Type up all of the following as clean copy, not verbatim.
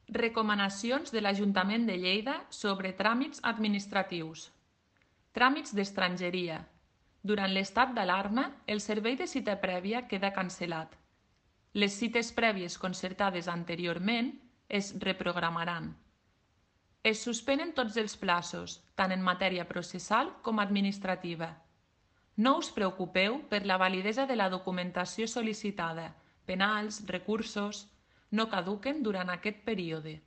Recomanacions de l'Ajuntament de Lleida sobre tràmits administratius. Tràmits d'estrangeria. Durant l'estat d'alarma, el servei de cita prèvia queda cancel·lat. Les cites prèvies concertades anteriorment es reprogramaran. Es suspenen tots els plaços, tant en matèria processal com administrativa. No us preocupeu per la validesa de la documentació sol·licitada, penals, recursos, no caduquen durant aquest període.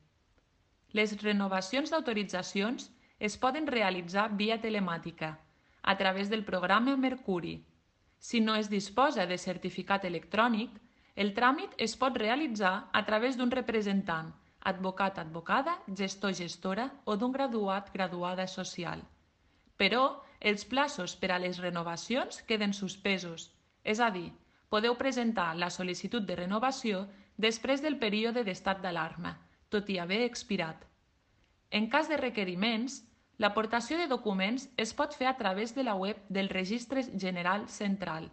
Les renovacions d'autoritzacions es poden realitzar via telemàtica, a través del programa Mercuri. Si no es disposa de certificat electrònic, el tràmit es pot realitzar a través d'un representant, advocat, advocada, gestor, gestora o d'un graduat, graduada social. Però els plaços per a les renovacions queden suspesos, és a dir, podeu presentar la sol·licitud de renovació després del període d'estat d'alarma, tot i haver expirat. En cas de requeriments, l'aportació de documents es pot fer a través de la web del Registre General Central,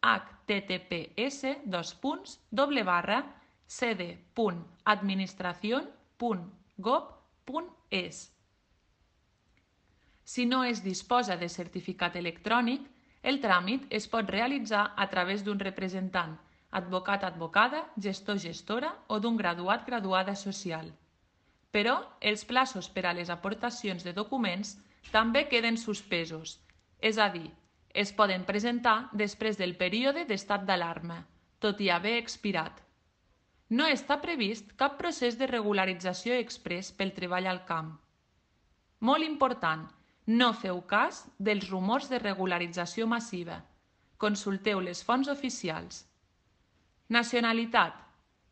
https://cd.administracion.gov.es. Si no es disposa de certificat electrònic, el tràmit es pot realitzar a través d'un representant, advocat, advocada, gestor, gestora o d'un graduat, graduada social. Però els plaços per a les aportacions de documents també queden suspesos, és a dir, es poden presentar després del període d'estat d'alarma, tot i haver expirat. No està previst cap procés de regularització exprés pel treball al camp. Molt important, no feu cas dels rumors de regularització massiva. Consulteu les fonts oficials. Nacionalitat.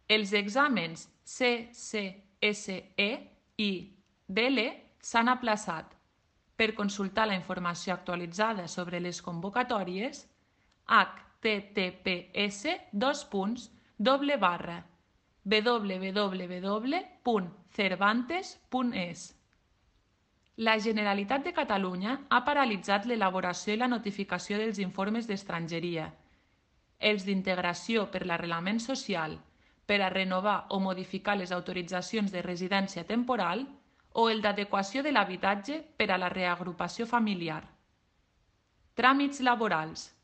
Els exàmens C, C, S, E i DL s'han aplaçat. Per consultar la informació actualitzada sobre les convocatòries, https://www.cervantes.es. La Generalitat de Catalunya ha paralitzat l'elaboració i la notificació dels informes d'estrangeria, els d'integració per l'arrelament social, per a renovar o modificar les autoritzacions de residència temporal o el d'adequació de l'habitatge per a la reagrupació familiar. Tràmits laborals.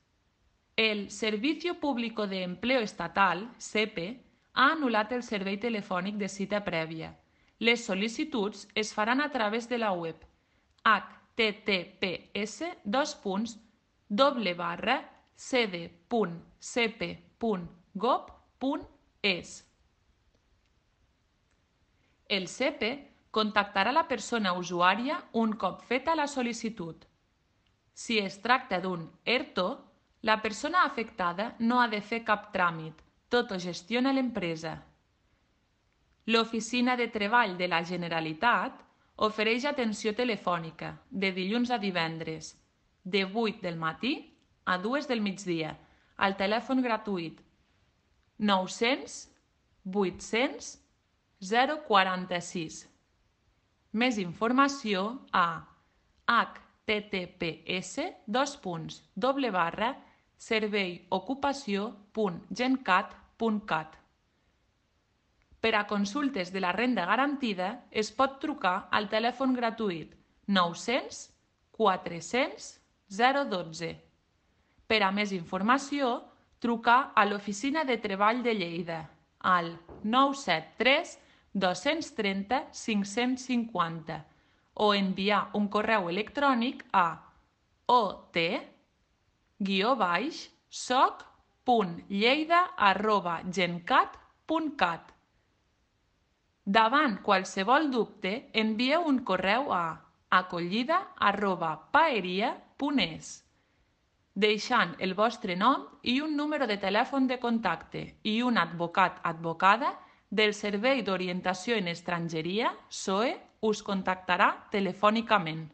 El Servicio Público de Empleo Estatal, SEPE, ha anul·lat el servei telefònic de cita prèvia. Les sol·licituds es faran a través de la web https://cd.cepe.gov.es. El SEPE contactarà la persona usuària un cop feta la sol·licitud. Si es tracta d'un ERTO, la persona afectada no ha de fer cap tràmit, tot ho gestiona l'empresa. L'Oficina de Treball de la Generalitat ofereix atenció telefònica de dilluns a divendres, de 8 del matí a 2 del migdia, al telèfon gratuït 900 800 046. Més informació a https://serveiocupació.gencat.cat. Per a consultes de la renda garantida es pot trucar al telèfon gratuït 900 400 012. Per a més informació, trucar a l'Oficina de Treball de Lleida al 973 230 550 o enviar un correu electrònic a ot-soc.lleida@gencat.cat. Davant qualsevol dubte, envieu un correu a acollida@paeria.es, deixant el vostre nom i un número de telèfon de contacte i un advocat/advocada del Servei d'Orientació en Estrangeria, SOE, us contactarà telefònicament.